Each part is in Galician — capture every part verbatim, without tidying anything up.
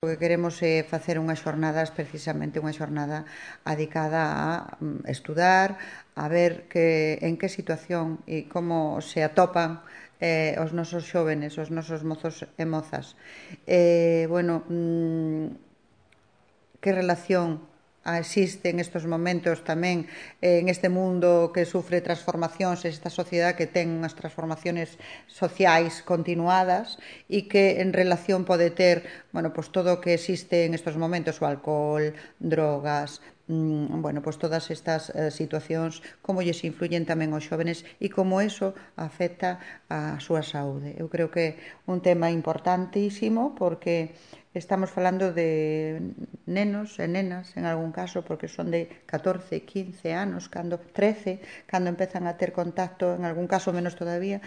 O que queremos é facer unhas xornadas, precisamente unha xornada adicada a estudar, a ver que, en que situación e como se atopan eh, os nosos xóvenes, os nosos mozos e mozas. Eh, bueno, mmm, que relación existe en estes momentos tamén en este mundo que sufre transformacións, esta sociedade que ten unhas transformaciones sociais continuadas e que en relación pode ter, bueno, pois todo o que existe en estes momentos, o alcohol, drogas, mmm, bueno, pois todas estas eh, situacións, como lles influyen tamén aos xóvenes e como eso afecta a súa saúde. Eu creo que é un tema importantísimo porque estamos falando de nenos e nenas, en algún caso, porque son de catorce, quince anos, cando trece, cando empezan a ter contacto, en algún caso menos todavía,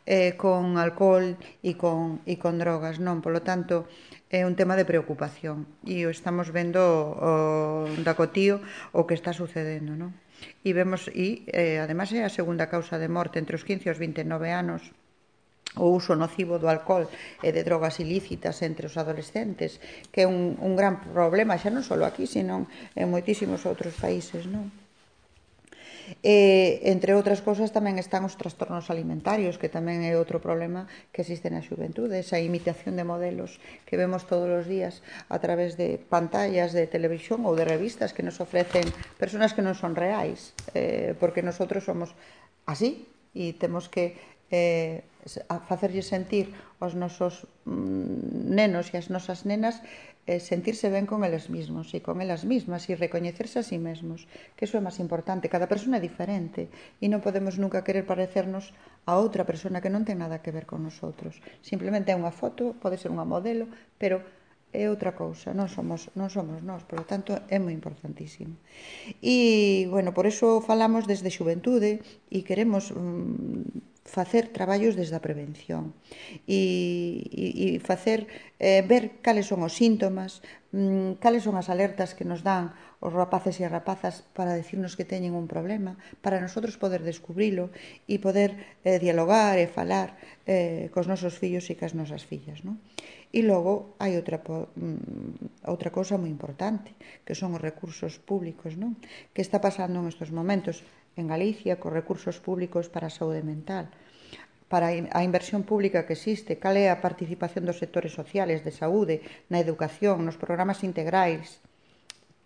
eh, con alcohol e con, e con drogas, non? Polo tanto, é un tema de preocupación e o estamos vendo o, da cotío o que está sucedendo, non? E vemos, e eh, además é a segunda causa de morte entre os quince e os vinte e nove anos, o uso nocivo do alcohol e de drogas ilícitas entre os adolescentes, que é un, un gran problema, xa non só aquí, sino en moitísimos outros países, non? E, entre outras cousas, tamén están os trastornos alimentarios, que tamén é outro problema que existe na xuventude, esa imitación de modelos que vemos todos os días a través de pantallas de televisión ou de revistas que nos ofrecen personas que non son reais, eh, porque nosotros somos así e temos que eh, a facerlle sentir aos nosos mm, nenos e as nosas nenas eh, sentirse ben con eles mismos e con elas mismas e recoñecerse a sí mesmos, que iso é máis importante. Cada persona é diferente e non podemos nunca querer parecernos a outra persona que non ten nada que ver con nosotros. Simplemente é unha foto, pode ser unha modelo, pero é outra cousa, non somos, non somos nós, por lo tanto é moi importantísimo. E, bueno, por iso falamos desde xuventude e queremos mmm, facer traballos desde a prevención e, e, e facer eh, ver cales son os síntomas, mmm, cales son as alertas que nos dan os rapaces e as rapazas para decirnos que teñen un problema, para nosotros poder descubrilo e poder eh, dialogar e falar eh, cos nosos fillos e cas nosas fillas, non? E logo hai outra, outra cousa moi importante, que son os recursos públicos, non? Que está pasando en estes momentos en Galicia cos recursos públicos para a saúde mental, para a inversión pública que existe, cal é a participación dos sectores sociales de saúde, na educación, nos programas integrais,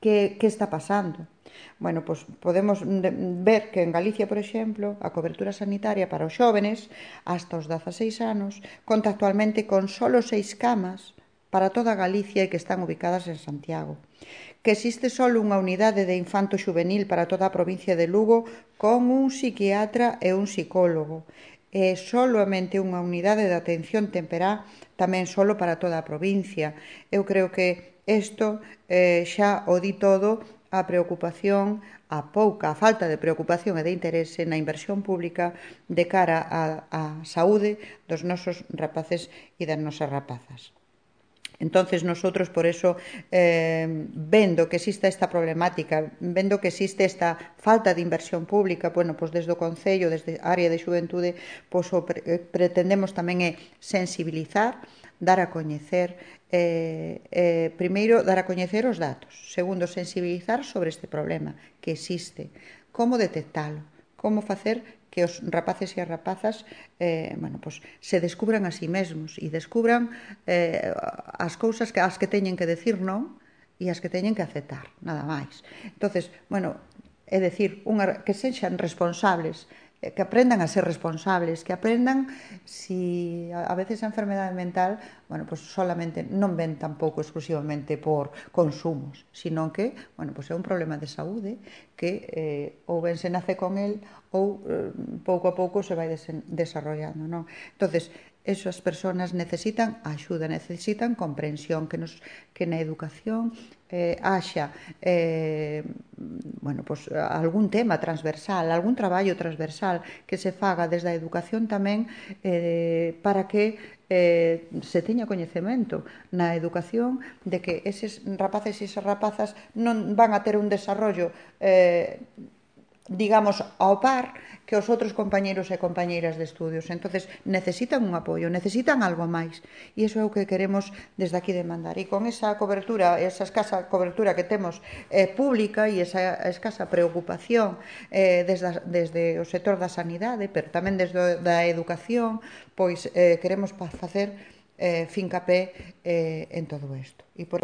que, que está pasando? Bueno, pois podemos ver que en Galicia, por exemplo, a cobertura sanitaria para os xóvenes hasta os dezaseis anos conta actualmente con solo seis camas para toda Galicia e que están ubicadas en Santiago, que existe só unha unidade de infanto xuvenil para toda a provincia de Lugo con un psiquiatra e un psicólogo, e solamente unha unidade de atención temperá tamén solo para toda a provincia. Eu creo que isto eh, xa o di todo a preocupación, a pouca, a falta de preocupación e de interese na inversión pública de cara á, á saúde dos nosos rapaces e das nosas rapazas. Entonces, nosotros, por eso, eh, vendo que existe esta problemática, vendo que existe esta falta de inversión pública, bueno, pois desde o Concello, desde a área de xuventude, pois o pre pretendemos tamén é sensibilizar, dar a coñecer, eh, eh, primeiro, dar a coñecer os datos, segundo, sensibilizar sobre este problema que existe, como detectalo, como facer que os rapaces e as rapazas eh, bueno, pues, se descubran a sí mesmos e descubran eh, as cousas que, as que teñen que decir non e as que teñen que aceptar, nada máis. Entonces, bueno, é decir, unha, que sexan responsables, que aprendan a ser responsables, que aprendan si a veces a enfermedade mental, bueno, pues solamente non ven tampouco exclusivamente por consumos, sino que, bueno, pues é un problema de saúde que eh, ou ben se nace con el ou eh, pouco a pouco se vai desarrollando, non? Entonces, esas persoas necesitan axuda, necesitan comprensión, que, nos, que na educación eh, haxa eh, bueno, pues, algún tema transversal, algún traballo transversal que se faga desde a educación tamén eh, para que eh, se teña coñecemento na educación de que eses rapaces e esas rapazas non van a ter un desarrollo eh, digamos, ao par que os outros compañeiros e compañeiras de estudios. Entonces, necesitan un apoio, necesitan algo máis. E iso é o que queremos desde aquí demandar. E con esa cobertura, esa escasa cobertura que temos eh, pública e esa escasa preocupación eh, desde, desde o sector da sanidade, pero tamén desde da educación, pois eh, queremos facer eh, fincapé eh, en todo isto. E por